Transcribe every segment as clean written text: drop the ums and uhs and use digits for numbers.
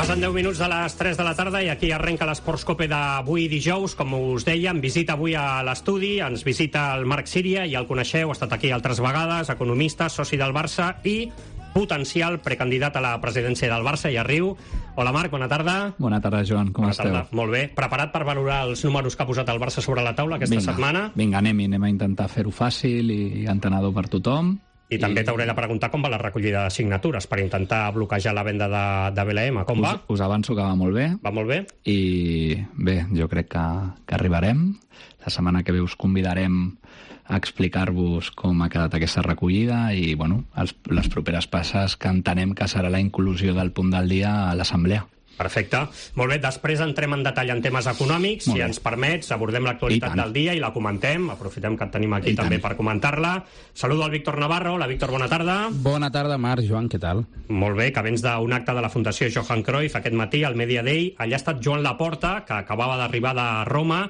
Passen 10 minuts de les 3 de la tarda i aquí arrenca l'Esports Cope d'avui dijous. Com us deia, visita avui a l'estudi, ens visita el Marc Síria, ja el coneixeu, ha estat aquí altres vegades, economista, soci del Barça i potencial precandidat a la presidència del Barça, i Riu. Hola Marc, bona tarda. Bona tarda, Joan, com esteu? Molt bé. Preparat per valorar els números que ha posat el Barça sobre la taula aquesta setmana? Vinga, anem a intentar fer-ho fàcil i entenedor per tothom. I també t'hauré de preguntar com va la recollida de signatures per intentar bloquejar la venda de BLM. Com va? Us avanço que va molt bé. Va molt bé? I bé, jo crec que arribarem. La setmana que ve us convidarem a explicar-vos com ha quedat aquesta recollida i, bueno, les properes passes que entenem que serà la inclusió del punt del dia a l'Assemblea. Perfecte. Molt bé, després entrem en detall en temes econòmics. Si ens permets, abordem l'actualitat del dia i la comentem. Aprofitem que et tenim aquí també per comentar-la. Saludo al Víctor Navarro. Hola, Víctor, bona tarda. Bona tarda, Marc. Joan, què tal? Molt bé, que vens d'un acte de la Fundació Johan Cruyff aquest matí al Media Day. Allà ha estat Joan Laporta, que acabava d'arribar de Roma,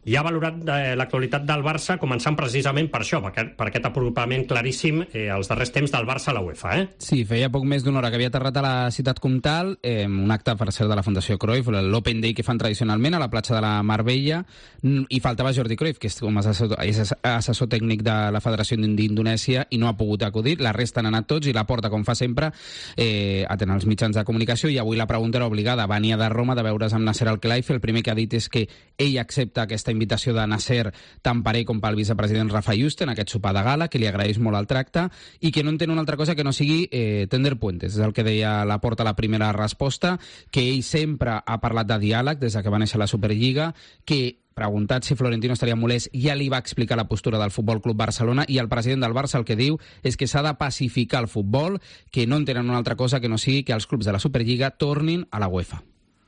i ha valorat l'actualitat del Barça, començant precisament per això, per aquest apropament claríssim els darrers temps del Barça a la UEFA. Sí, feia poc més d'una hora que havia aterrat a la ciutat comtal, un acte per ser de la Fundació Cruyff, l'Open Day que fan tradicionalment a la platja de la Mar Bella, i faltava Jordi Cruyff, que és assessor tècnic de la Federació d'Indonèsia i no ha pogut acudir. La resta han anat tots i la porta, com fa sempre, atén els mitjans de comunicació, i avui la pregunta era obligada. Venia de Roma de veure's amb Nasser Al-Khelaifi. El primer que ha dit és que ell accepta aquesta invitació de Nasser tant per ell com pel vicepresident Rafa Yuste en aquest sopar de gala, que li agraeix molt el tracte i que no entén una altra cosa que no sigui tender puentes. És el que deia Laporta a la primera resposta, que ell sempre ha parlat de diàleg des que va néixer la Superliga, que preguntat si Florentino estaria molest, ja li va explicar la postura del Futbol Club Barcelona, i el president del Barça el que diu és que s'ha de pacificar el futbol, que no entenen una altra cosa que no sigui que els clubs de la Superliga tornin a la UEFA.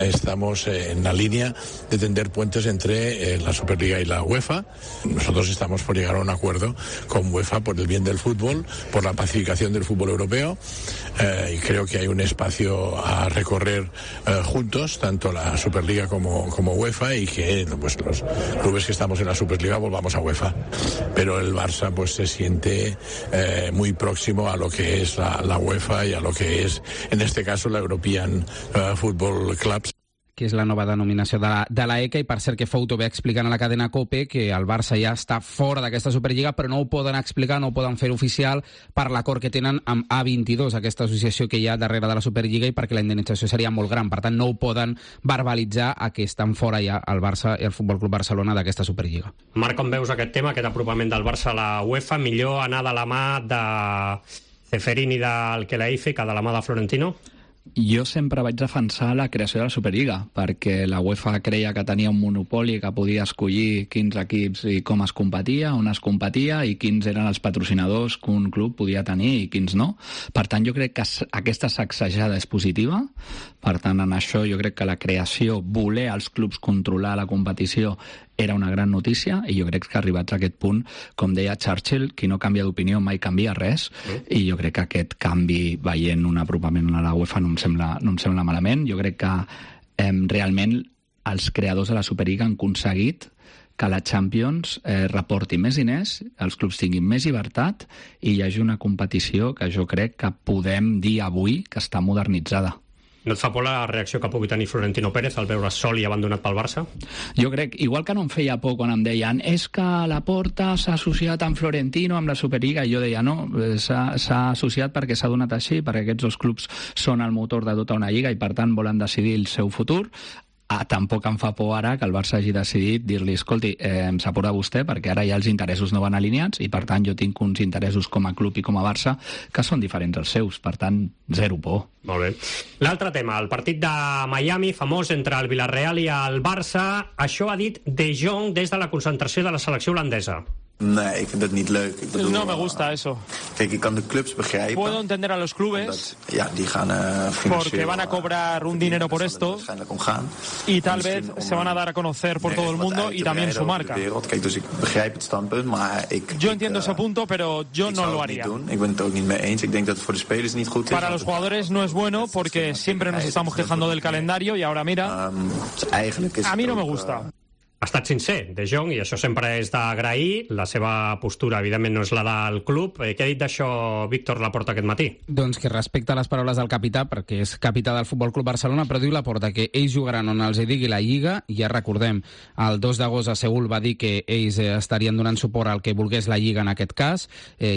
Estamos en la línea de tender puentes entre la Superliga y la UEFA. Nosotros estamos por llegar a un acuerdo con UEFA por el bien del fútbol, por la pacificación del fútbol europeo, y creo que hay un espacio a recorrer juntos, tanto la Superliga como UEFA, y que pues los clubes que estamos en la Superliga volvamos a UEFA. Pero el Barça pues se siente muy próximo a lo que es la UEFA y a lo que es, en este caso, la European Football Clubs, que és la nova denominació de la ECA, i per cert que Fouto ve explicant a la cadena COPE que el Barça ja està fora d'aquesta Superliga, però no ho poden explicar, no ho poden fer oficial per l'acord que tenen amb A22, aquesta associació que hi ha darrere de la Superliga, i perquè la indemnització seria molt gran. Per tant, no ho poden verbalitzar a que estan fora ja el Barça i el Futbol Club Barcelona d'aquesta Superliga. Marc, com veus aquest tema, aquest apropament del Barça a la UEFA? Millor anar de la mà de Ceferin i del Khelaifi que de la mà de Florentino? Jo sempre vaig defensar la creació de la Superliga, perquè la UEFA creia que tenia un monopoli, que podia escollir quins equips i com es competia, on es competia i quins eren els patrocinadors que un club podia tenir i quins no. Per tant, jo crec que aquesta sacsejada és positiva. Per tant, en això jo crec que la creació, voler als clubs controlar la competició, era una gran notícia, i jo crec que arribats a aquest punt, com deia Churchill, qui no canvia d'opinió mai canvia res, i jo crec que aquest canvi, veient un apropament a la UEFA, no em sembla malament. Jo crec que realment els creadors de la Superliga han aconseguit que la Champions reporti més diners, els clubs tinguin més llibertat i hi hagi una competició que jo crec que podem dir avui que està modernitzada. No et fa por la reacció que pugui tenir Florentino Pérez al veure sol i abandonat pel Barça? Jo crec, igual que no em feia por quan em deien és que Laporta s'ha associat amb Florentino, amb la Superliga, i jo deia no, s'ha associat perquè s'ha donat així, perquè aquests dos clubs són el motor de tota una lliga i per tant volen decidir el seu futur. Tampoc em fa por ara que el Barça hagi decidit dir-li, escolti, em sap de vostè perquè ara ja els interessos no van alineats i per tant jo tinc uns interessos com a club i com a Barça que són diferents als seus, per tant, zero por. Molt bé. L'altre tema, el partit de Miami, famós entre el Villarreal i el Barça. Això ha dit De Jong des de la concentració de la selecció holandesa. Nee, ik vind het niet leuk. Ik bedoel, no me gusta eso. Kijk, ik kan de clubs begrijpen. Puedo entender a los clubes die gaan porque van a cobrar un dinero por esto y tal vez se van a dar a conocer por todo el mundo y también su marca. Kijk, dus ik begrijp het standpunt, maar yo entiendo ese punto, pero yo no lo haría. Ik ben het ook niet mee eens. Ik denk dat het voor de spelers niet goed is. Para los jugadores no es bueno porque siempre nos estamos quejando del calendario y ahora mira, a mí no me gusta. ha estat sincer, De Jong, i això sempre és d'agrair. La seva postura, evidentment, no és la del club. Què ha dit d'això Víctor Laporta aquest matí? Doncs que respecta les paraules del capità, perquè és capità del Futbol Club Barcelona, però diu Laporta que ells jugaran on els digui la Lliga. Ja recordem, el 2 d'agost a Seül va dir que ells estarien donant suport al que volgués la Lliga en aquest cas.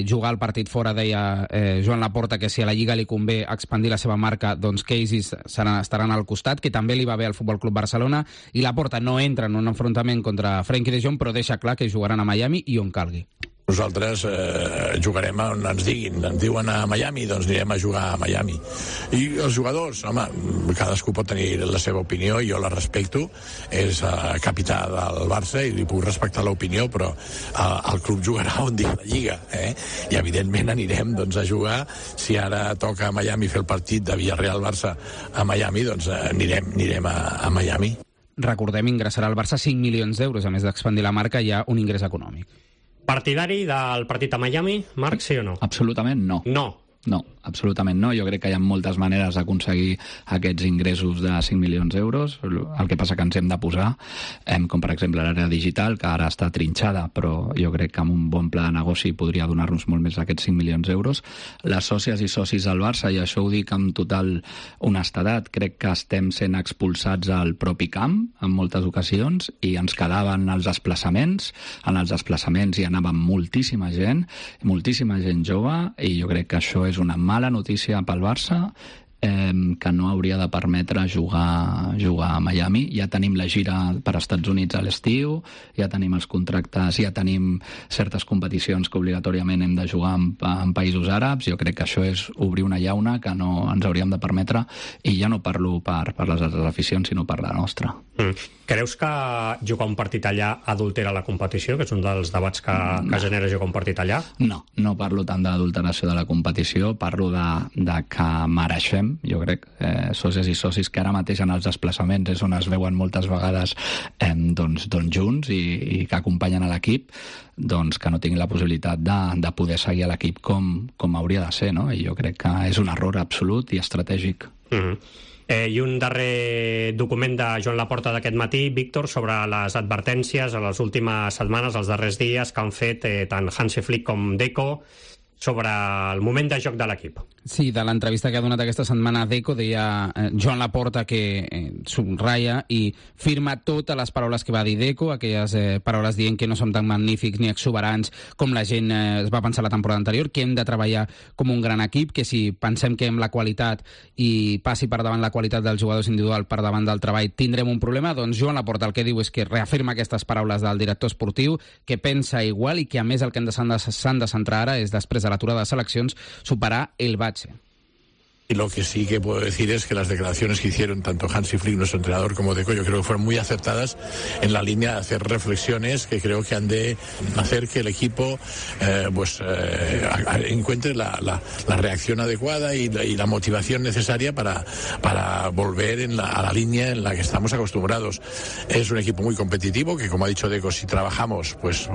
Jugar el partit fora, deia Joan Laporta, que si a la Lliga li convé expandir la seva marca, doncs que ells estaran al costat, que també li va bé al Futbol Club Barcelona, i Laporta no entra en un enfrontament contra Frenkie de Jong, però deixa clar que jugaran a Miami i on calgui. Nosaltres jugarem on ens diguin. Ens diuen a Miami, doncs anirem a jugar a Miami. I els jugadors, home, cadascú pot tenir la seva opinió, jo la respecto, és capità del Barça i li puc respectar l'opinió, però el club jugarà on digui la Lliga, i evidentment anirem doncs, a jugar. Si ara toca a Miami fer el partit de Villarreal-Barça a Miami, doncs anirem a Miami. Recordem, ingressarà al Barça 5 milions d'euros, a més d'expandir la marca, hi ha un ingrés econòmic. Partidari del partit a Miami, Marc, sí o no? Absolutament no. No, absolutament no. Jo crec que hi ha moltes maneres d'aconseguir aquests ingressos de 5 milions d'euros. El que passa que ens hem de posar, com per exemple l'àrea digital, que ara està trinxada, però jo crec que amb un bon pla de negoci podria donar-nos molt més d'aquests 5 milions d'euros. Les sòcies i socis del Barça, i això ho dic amb total honestedat, crec que estem sent expulsats al propi camp en moltes ocasions i ens quedaven els desplaçaments. En els desplaçaments hi anava moltíssima gent jove, i jo crec que això és una mala notícia pel Barça, que no hauria de permetre jugar a Miami. Ja tenim la gira per Estats Units a l'estiu, ja tenim els contractes, ja tenim certes competicions que obligatòriament hem de jugar en països àrabs. Jo crec que això és obrir una llauna que no ens hauríem de permetre, i ja no parlo per les altres aficions, sinó per la nostra. Creus que jugar un partit allà adultera la competició, que és un dels debats que genera jugar un partit allà? No parlo tant d'adulteració de la competició, parlo de que mereixem, jo crec, socis i socis que ara mateix en els desplaçaments és on es veuen moltes vegades doncs junts i que acompanyen a l'equip, doncs que no tinguin la possibilitat de poder seguir a l'equip com hauria de ser, no? I jo crec que és un error absolut i estratègic. I un darrer document de Joan Laporta d'aquest matí, Víctor, sobre les advertències a les últimes setmanes, els darrers dies, que han fet tant Hansi Flick com Deco sobre el moment de joc de l'equip. Sí, de l'entrevista que ha donat aquesta setmana a Deco, deia Joan Laporta que subratlla i firma totes les paraules que va dir Deco, aquelles paraules dient que no som tan magnífics ni exuberants com la gent es va pensar la temporada anterior, que hem de treballar com un gran equip, que si pensem que amb la qualitat i passi per davant la qualitat dels jugadors individual per davant del treball tindrem un problema. Doncs Joan Laporta el que diu és que reafirma aquestes paraules del director esportiu, que pensa igual i que a més el que s'han de centrar ara és, després de l'aturada de seleccions, superar el bache. Y lo que sí que puedo decir es que las declaraciones que hicieron tanto Hansi Flick, nuestro entrenador, como Deco, yo creo que fueron muy acertadas en la línea de hacer reflexiones que creo que han de hacer que el equipo encuentre la reacción adecuada y la motivación necesaria para volver a la línea en la que estamos acostumbrados. Es un equipo muy competitivo que, como ha dicho Deco, si trabajamos pues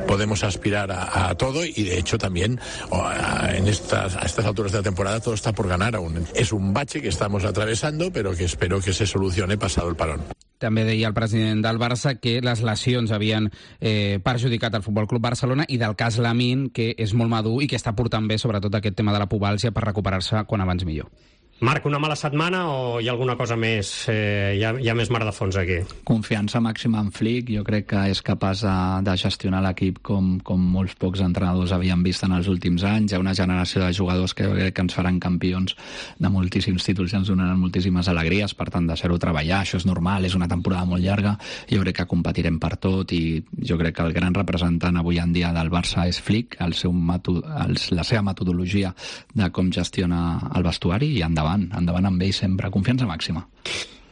podemos aspirar a todo, y de hecho también a estas alturas de la temporada todo está por ganar aún. Es un bache que estamos atravesando, pero que espero que se solucione pasado el parón. També deia el president del Barça que les lesions havien perjudicat el Futbol Club Barcelona, i del cas Lamine, que és molt madur i que està portant bé sobretot aquest tema de la pubàlgia per recuperar-se quan abans millor. Marc, una mala setmana o hi ha alguna cosa més? Hi ha més mar de fons aquí? Confiança màxima en Flick. Jo crec que és capaç de gestionar l'equip com molts pocs entrenadors havien vist en els últims anys. Hi ha una generació de jugadors que jo crec que ens faran campions de moltíssims títols i ens donaran moltíssimes alegries. Per tant, deixar-ho treballar, això és normal, és una temporada molt llarga. Jo crec que competirem per tot, i jo crec que el gran representant avui en dia del Barça és Flick, la seva metodologia de com gestiona el vestuari, i endavant amb ell sempre, confiança màxima.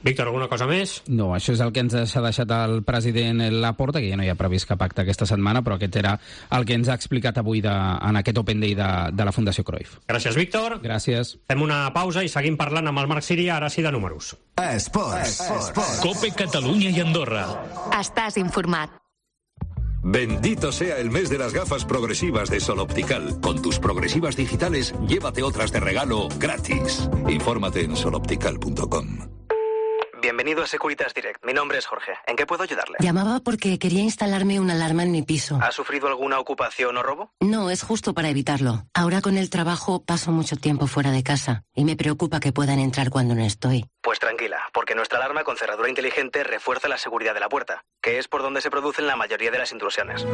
Víctor, alguna cosa més? No, això és el que ens ha deixat el president Laporta, que ja no hi ha previst cap acte aquesta setmana, però aquest era el que ens ha explicat avui en aquest Open Day de la Fundació Cruyff. Gràcies, Víctor. Gràcies. Fem una pausa i seguim parlant amb el Marc Síria, ara sí de números. Esports. COPE Catalunya i Andorra. Estàs informat. Bendito sea el mes de las gafas progresivas de Sol Optical. Con tus progresivas digitales, llévate otras de regalo gratis. Infórmate en soloptical.com. Bienvenido Bienvenido a Securitas Direct. Mi nombre es Jorge. ¿En qué puedo ayudarle? Llamaba porque quería instalarme una alarma en mi piso. ¿Ha sufrido alguna ocupación o robo? No, es justo para evitarlo. Ahora con el trabajo paso mucho tiempo fuera de casa y me preocupa que puedan entrar cuando no estoy. Pues tranquila, porque nuestra alarma con cerradura inteligente refuerza la seguridad de la puerta, que es por donde se producen la mayoría de las intrusiones.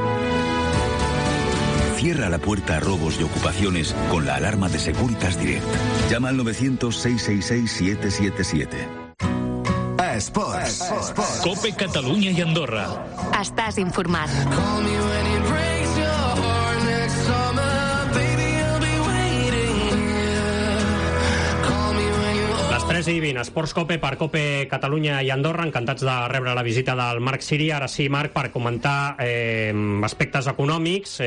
Cierra la puerta a robos y ocupaciones con la alarma de Securitas Direct. Llama al 900-666-777. Esports. Cope Catalunya i Andorra. Estàs informat. Les 3:20, Esports Cope per Cope Catalunya i Andorra, encantats de rebre la visita del Marc Siri. Ara sí, Marc, per comentar aspectes econòmics.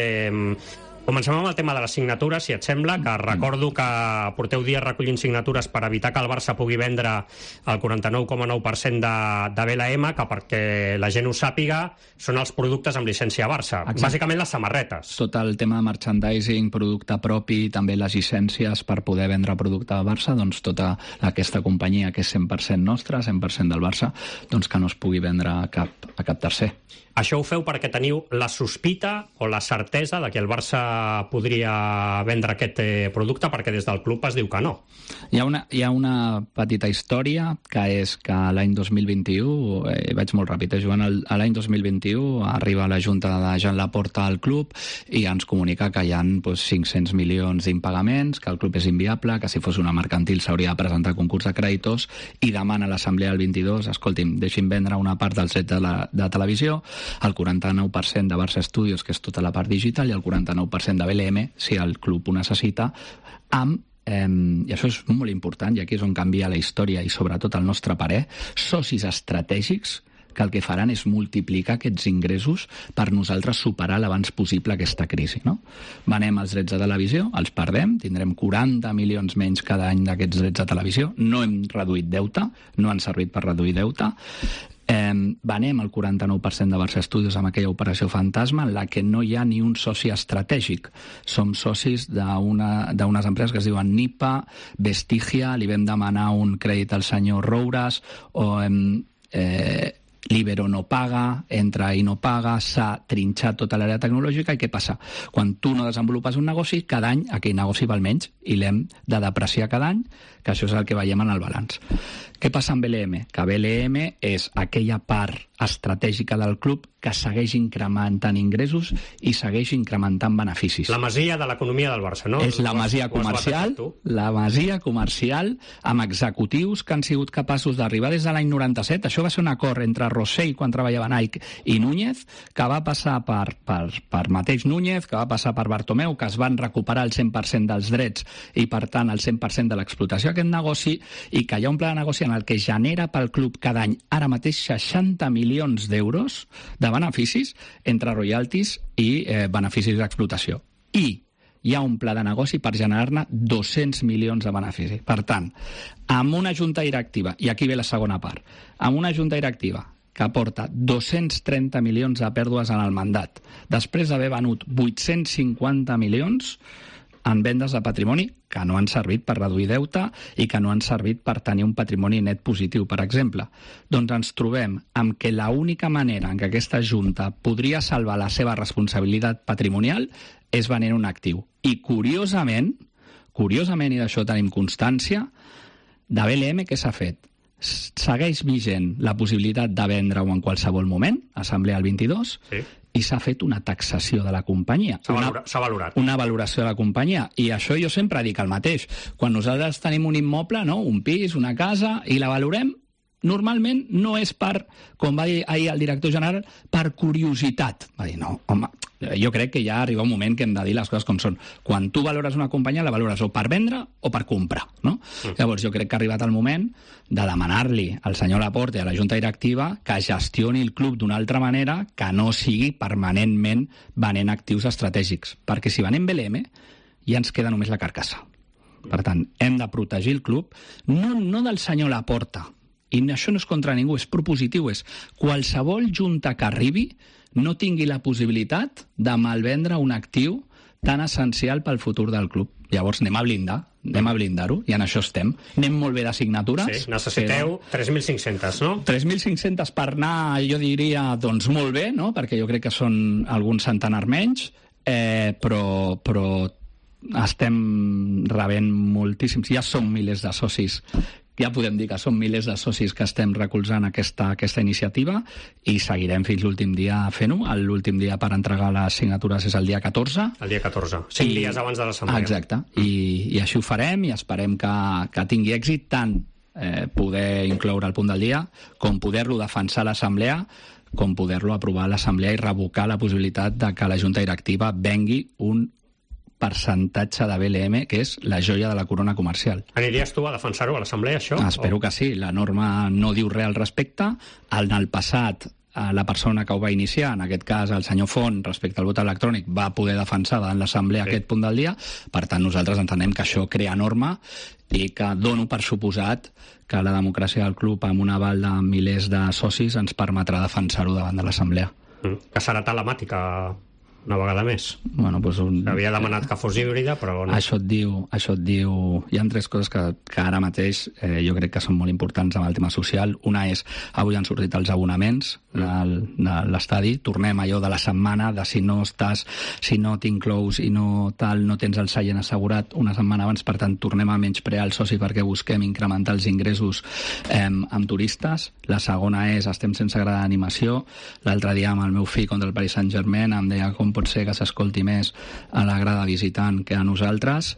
Comencem amb el tema de les signatures, si et sembla, que recordo que porteu dies recollint signatures per evitar que el Barça pugui vendre el 49,9% de BLM, que perquè la gent ho sàpiga, són els productes amb llicència Barça. Exacte. Bàsicament les samarretes. Tot el tema de merchandising, producte propi, també les llicències per poder vendre producte de Barça, doncs tota aquesta companyia que és 100% nostra, 100% del Barça, doncs que no es pugui vendre a cap tercer. Això ho feu perquè teniu la sospita o la certesa de que el Barça podria vendre aquest producte, perquè des del club es diu que no. Hi ha una petita història, que és que l'any 2021, vaig molt ràpid, Joan, l'any 2021 arriba la Junta de Jean Laporta al club i ens comunica que hi ha 500 milions d'impagaments, que el club és inviable, que si fos una mercantil s'hauria de presentar a concurs de creditors, i demana a l'assemblea del 22, escolti'm, deixin vendre una part dels drets de televisió, el 49% de Barça Studios, que és tota la part digital, i el 49% de BLM, si el club ho necessita, i això és molt important, i aquí és on canvia la història i sobretot el nostre parer, socis estratègics que el que faran és multiplicar aquests ingressos per nosaltres superar l'abans possible aquesta crisi, no? Venem els drets de televisió, els perdem, tindrem 40 milions menys cada any d'aquests drets de televisió, no hem reduït deute, no han servit per reduir deute, venem el 49% de Barça Studios amb aquella operació fantasma en la que no hi ha ni un soci estratègic. Som socis d'unes empreses que es diuen Nipa, Vestigia, li vam demanar un crèdit al senyor Roures, o Libero no paga, entra i no paga, s'ha trinxat tota l'àrea tecnològica, i què passa? Quan tu no desenvolupes un negoci, cada any aquell negoci val menys i l'hem de depreciar cada any, que això és el que veiem en el balanç. Què passa amb BLM? Que BLM és aquella part estratègica del club que segueix incrementant ingressos i segueix incrementant beneficis. La masia de l'economia del Barça, no? És la masia comercial amb executius que han sigut capaços d'arribar des de l'any 97. Això va ser un acord entre Rossell, quan treballava Nike, i Núñez, que va passar per mateix Núñez, que va passar per Bartomeu, que es van recuperar el 100% dels drets i, per tant, el 100% de l'explotació d'aquest negoci, i que hi ha un pla de negoci en el que genera pel club cada any, ara mateix, 60 milions d'euros de beneficis entre royalties i beneficis d'explotació. I hi ha un pla de negoci per generar-ne 200 milions de benefici. Per tant, amb una junta directiva, i aquí ve la segona part, amb una junta directiva que aporta 230 milions de pèrdues en el mandat, després d'haver venut 850 milions en vendes de patrimoni que no han servit per reduir deute i que no han servit per tenir un patrimoni net positiu, per exemple. Doncs ens trobem amb que l'única manera en què aquesta Junta podria salvar la seva responsabilitat patrimonial és venent un actiu. I curiosament, i d'això tenim constància, de BLM què s'ha fet? Segueix vigent la possibilitat de vendre-ho en qualsevol moment, assemblea el 22, sí, i s'ha fet una taxació de la companyia. S'ha valorat. Una valoració de la companyia. I això jo sempre dic el mateix. Quan nosaltres tenim un immoble, no? Un pis, una casa, i la valorem, normalment no és per, com va dir ahir el director general, per curiositat. Va dir, no, home, jo crec que ja arriba un moment que hem de dir les coses com són. Quan tu valores una companyia, la valores o per vendre o per comprar, no? Llavors jo crec que ha arribat el moment de demanar-li al senyor Laporta i a la Junta Directiva que gestioni el club d'una altra manera, que no sigui permanentment venent actius estratègics. Perquè si venem BLM, ja ens queda només la carcassa. Per tant, hem de protegir el club, no del senyor Laporta, i això no és contra ningú, és propositiu, és qualsevol junta que arribi no tingui la possibilitat de malvendre un actiu tan essencial pel futur del club. Llavors anem a blindar-ho, i en això estem. Anem molt bé de signatures. Sí, necessiteu 3.500, no? 3.500 per anar, jo diria, doncs molt bé, no? Perquè jo crec que són alguns centenar menys, però estem rebent moltíssims. Ja som milers de socis, ja podem dir que són milers de socis que estem recolzant aquesta iniciativa, i seguirem fins l'últim dia fent-ho. L'últim dia per entregar les signatures és el dia 14. El dia 14, 5 dies abans de l'assemblea. Exacte, i així ho farem, i esperem que tingui èxit tant poder incloure el punt del dia, com poder-lo defensar a l'assemblea, com poder-lo aprovar a l'assemblea i revocar la possibilitat de que la Junta Directiva vengui un percentatge de BLM, que és la joia de la corona comercial. Aniries tu a defensar-ho a l'assemblea, això? Espero que sí. La norma no diu res al respecte. En el passat, la persona que ho va iniciar, en aquest cas el senyor Font, respecte al vot electrònic, va poder defensar davant l'assemblea aquest punt del dia. Per tant, nosaltres entenem que això crea norma i que dono per suposat que la democràcia del club, amb un aval de milers de socis, ens permetrà defensar-ho davant de l'assemblea. Que serà telemàtica una vegada més. Bueno, doncs havia demanat que fos híbrida, però no. Això et diu... Hi ha 3 coses que ara mateix jo crec que són molt importants amb el tema social. Una és, avui han sortit els abonaments de l'estadi. Tornem allò de la setmana, de si no t'inclous i no tens el seient assegurat una setmana abans. Per tant, tornem a menysprear el soci perquè busquem incrementar els ingressos amb turistes. La segona és, estem sense grada d'animació. L'altre dia amb el meu fill contra el Paris Saint-Germain em deia com pot ser que s'escolti més a la grada visitant que a nosaltres,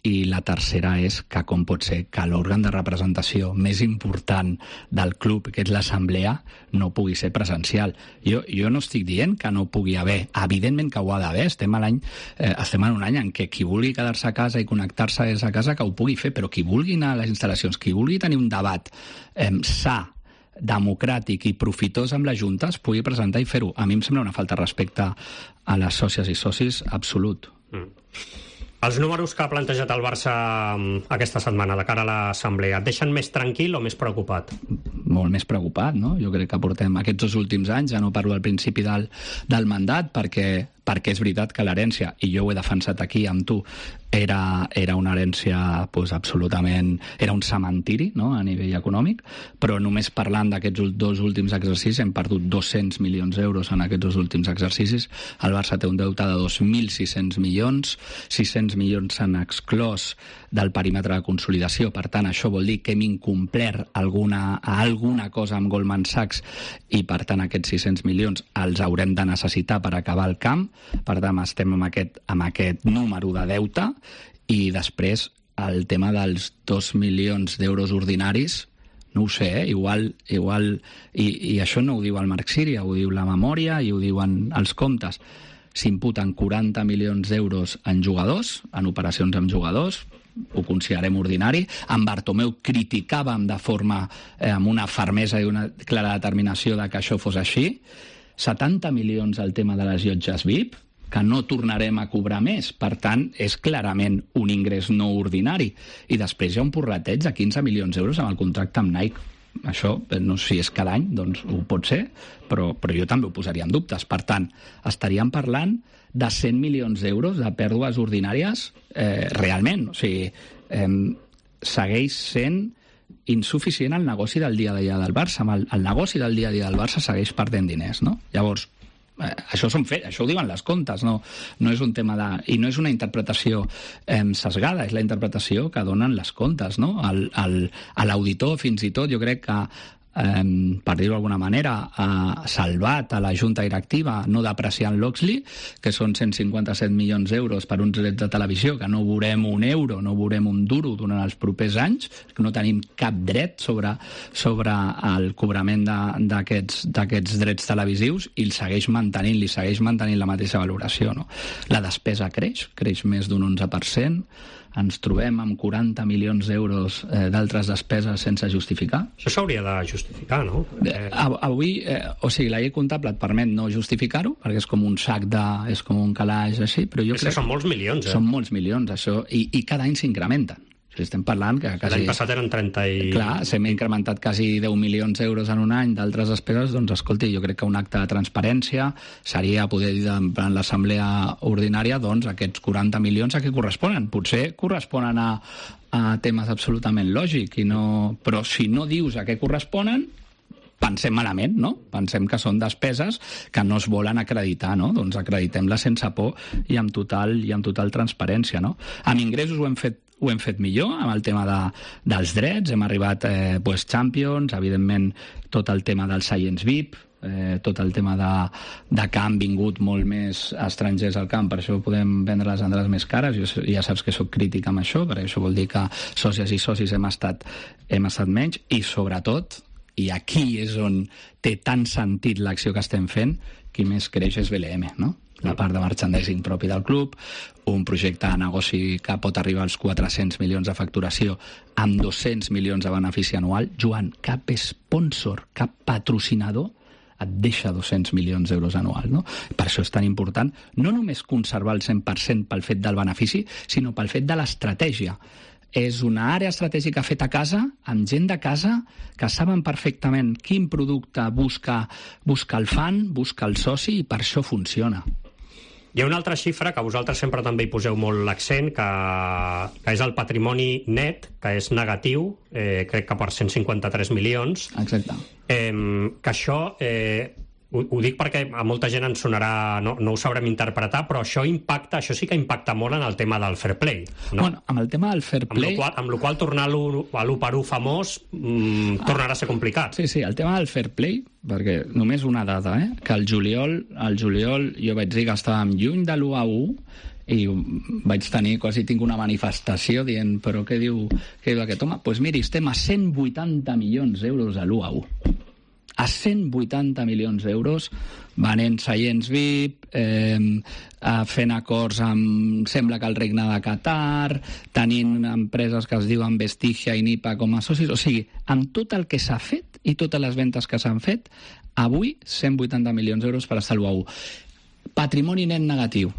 i la tercera és que com pot ser que l'òrgan de representació més important del club, que és l'assemblea, no pugui ser presencial. Jo no estic dient que no pugui haver, evidentment que ho ha d'haver, estem en un any en què qui vulgui quedar-se a casa i connectar-se des de casa que ho pugui fer, però qui vulgui anar a les instal·lacions, qui vulgui tenir un debat sa, democràtic i profitós amb la Junta, es pugui presentar i fer-ho. A mi em sembla una falta de respecte a les sòcies i socis absolut. Els números que ha plantejat el Barça aquesta setmana de cara a l'assemblea, et deixen més tranquil o més preocupat? Molt més preocupat, no? Jo crec que portem aquests 2 últims anys, ja no parlo al principi del mandat, perquè és veritat que l'herència, i jo ho he defensat aquí amb tu, era una herència absolutament... Era un cementiri, no?, a nivell econòmic, però només parlant d'aquests 2 últims exercicis hem perdut 200 milions d'euros en aquests 2 últims exercicis. El Barça té un deute de 2.600 milions, 600 milions s'han exclòs del perímetre de consolidació, per tant això vol dir que hem incomplert alguna cosa amb Goldman Sachs, i per tant aquests 600 milions els haurem de necessitar per acabar el camp. Per tant, estem amb aquest número de deute, i després el tema dels 2 milions d'euros ordinaris, no ho sé, igual i això no ho diu el Marc Síria, ho diu la memòria i ho diuen els comptes. S'imputen 40 milions d'euros en jugadors, en operacions amb jugadors, ho considerem ordinari. En Bartomeu criticàvem amb una fermesa i una clara determinació de que això fos així. 70 milions al tema de les llotges VIP, que no tornarem a cobrar més. Per tant, és clarament un ingrés no ordinari. I després hi ha un porreteig de 15 milions d'euros amb el contracte amb Nike. Això, no sé si és cada any, doncs ho pot ser, però jo també ho posaria en dubtes. Per tant, estaríem parlant de 100 milions d'euros de pèrdues ordinàries realment. O sigui, segueix sent insuficient el negoci del dia a dia del Barça. El negoci del dia a dia del Barça segueix perdent diners, no? Llavors, això ho diuen les comptes, no és un tema i no és una interpretació sesgada, és la interpretació que donen les comptes, no? A l'auditor, fins i tot, jo crec que per dir-ho d'alguna manera, ha salvat a la Junta Directiva no depreciant l'Oxley, que són 157 milions d'euros per uns drets de televisió, que no veurem un euro, no veurem un duro durant els propers anys, que no tenim cap dret sobre el cobrament d'aquests drets televisius, i li segueix mantenint la mateixa valoració, no? La despesa creix més d'un 11%, ens trobem amb 40 milions d'euros d'altres despeses sense justificar. Això s'hauria de justificar, no? Avui, la llei comptable et permet no justificar-ho, perquè és com un sac és com un calaix així, però jo crec que són molts milions, Són molts milions, això, i cada any s'incrementen. Estem parlant que quasi... L'any passat eren 30 i... Clar, s'hem incrementat quasi 10 milions d'euros en un any d'altres despeses, doncs escolti, jo crec que un acte de transparència seria poder dir en l'assemblea ordinària, doncs aquests 40 milions a què corresponen? Potser corresponen a temes absolutament lògics, però si no dius a què corresponen, pensem malament, no? Pensem que són despeses que no es volen acreditar, no? Doncs acreditem-les sense por i amb total transparència, no? Amb ingressos ho hem fet millor, amb el tema dels drets, hem arribat Champions, evidentment tot el tema del Science VIP, tot el tema de que han vingut molt més estrangers al camp, per això podem vendre les entrades més cares. Jo ja saps que soc crític amb això, perquè això vol dir que sòcies i socis hem estat menys, i sobretot, i aquí és on té tant sentit l'acció que estem fent, qui més creix és BLM, no? La part de merchandising propi del club, un projecte de negoci que pot arribar als 400 milions de facturació amb 200 milions de benefici anual. Joan, cap sponsor, cap patrocinador et deixa 200 milions d'euros anual, no? Per això és tan important no només conservar el 100% pel fet del benefici, sinó pel fet de l'estratègia. És una àrea estratègica feta a casa, amb gent de casa, que saben perfectament quin producte busca el fan, busca el soci, i per això funciona. Hi ha una altra xifra que vosaltres sempre també hi poseu molt l'accent, que és el patrimoni net, que és negatiu, crec que per 153 milions. Exacte. Que això... Ho dic perquè a molta gent ens sonarà, no ho sabrem interpretar, però això sí que impacta molt en el tema del fair play, no? Bueno, amb el tema del fair play... Amb la qual tornar a l'1/1 famós tornarà a ser complicat. Sí, el tema del fair play, perquè només una dada, que al juliol jo vaig dir que estàvem lluny de l'1/1 i vaig tenir, quasi tinc una manifestació dient, però què diu aquest home? Doncs miri, estem a 180 milions d'euros a l'1/1. A 180 milions d'euros, venent seients VIP, fent acords amb, sembla que el regne de Qatar, tenint empreses que es diuen Vestigia i Nipa com a socis. O sigui, amb tot el que s'ha fet i totes les ventes que s'han fet, avui 180 milions d'euros per estar a l'1/1. Patrimoni net negatiu.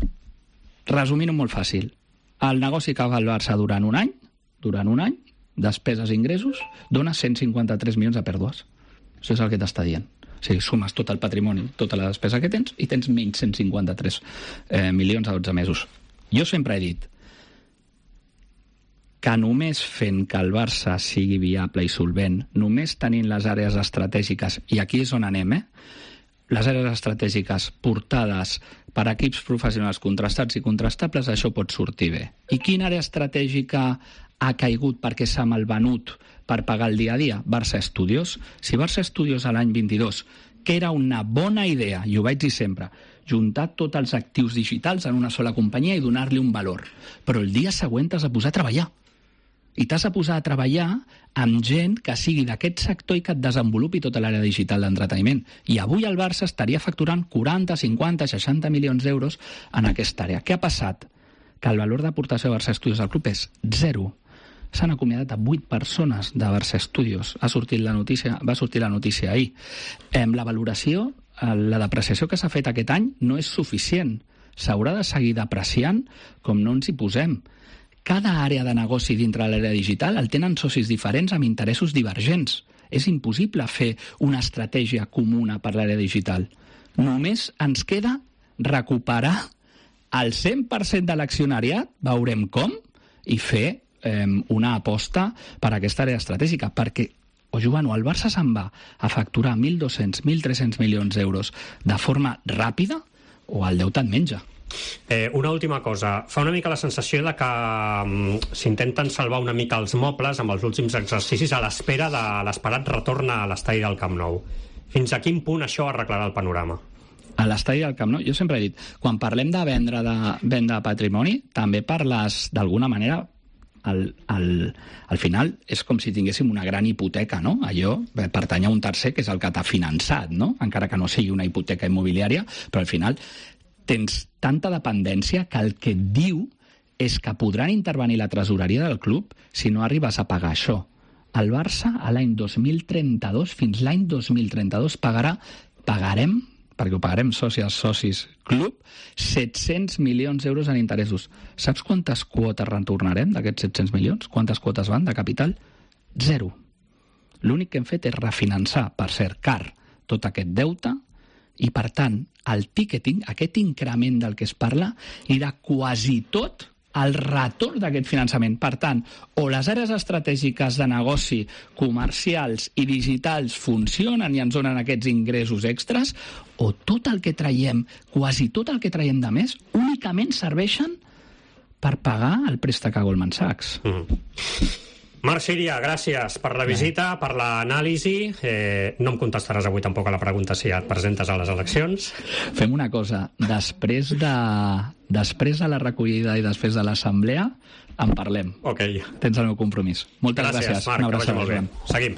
Resumint-ho molt fàcil. El negoci que fa el Barça durant un any, despeses i ingressos, dona 153 milions de pèrdues. Això és el que t'està dient. O sigui, sumes tot el patrimoni, tota la despesa que tens, i tens menys 153 milions a 12 mesos. Jo sempre he dit que només fent que el Barça sigui viable i solvent, només tenint les àrees estratègiques, i aquí és on anem, les àrees estratègiques portades per equips professionals contrastats i contrastables, això pot sortir bé. I quina àrea estratègica ha caigut perquè s'ha malvenut per pagar el dia a dia? Barça Studios. Si Barça Studios a l'any 22, que era una bona idea, i ho vaig dir sempre, juntar tots els actius digitals en una sola companyia i donar-li un valor, però el dia següent t'has de posar a treballar. I t'has de posar a treballar amb gent que sigui d'aquest sector i que et desenvolupi tota l'àrea digital d'entreteniment. I avui el Barça estaria facturant 40, 50, 60 milions d'euros en aquesta àrea. Què ha passat? Que el valor d'aportació de Barça Studios al club és 0. S'han acomiadat a 8 persones de Barça Studios. Va sortir la notícia ahir. La valoració, la depreciació que s'ha fet aquest any no és suficient. S'haurà de seguir depreciant com no ens hi posem. Cada àrea de negoci dintre de l'àrea digital el tenen socis diferents amb interessos divergents. És impossible fer una estratègia comuna per l'àrea digital. Només ens queda recuperar el 100% de l'accionariat, veurem com, i fer una aposta per aquesta àrea estratègica, perquè, Joan, el Barça se'n va a facturar 1.200, 1.300 milions d'euros de forma ràpida o el deute et menja. Una última cosa. Fa una mica la sensació de que s'intenten salvar una mica els mobles amb els últims exercicis a l'espera de l'esperat retorn a l'estadi del Camp Nou. Fins a quin punt això arreglarà el panorama? A l'estadi del Camp Nou, jo sempre he dit, quan parlem de venda de patrimoni, també parles d'alguna manera. Al final és com si tinguéssim una gran hipoteca, no? Allò pertany a un tercer que és el que t'ha finançat, no? Encara que no sigui una hipoteca immobiliària, però al final tens tanta dependència que el que et diu és que podran intervenir la tresoreria del club si no arribes a pagar això. El Barça a l'any 2032, fins l'any 2032, pagarem perquè ho pagarem socis club, 700 milions d'euros en interessos. Saps quantes quotes retornarem d'aquests 700 milions? Quantes quotes van de capital? 0. L'únic que hem fet és refinançar, per cert, car, tot aquest deute, i per tant, el ticketing, aquest increment del que es parla, era quasi tot el retorn d'aquest finançament. Per tant, o les àrees estratègiques de negoci, comercials i digitals funcionen i ens donen aquests ingressos extras, o tot el que traiem, quasi tot el que traiem de més, únicament serveixen per pagar el préstec a Goldman Sachs. Marc Síria, gràcies per la visita, per l'anàlisi. No em contestaràs avui tampoc a la pregunta si et presentes a les eleccions. Fem una cosa, després de la recollida i després de l'assemblea en parlem. Ok. Tens el meu compromís. Moltes gràcies. Marc, que vagi molt bé. Seguim.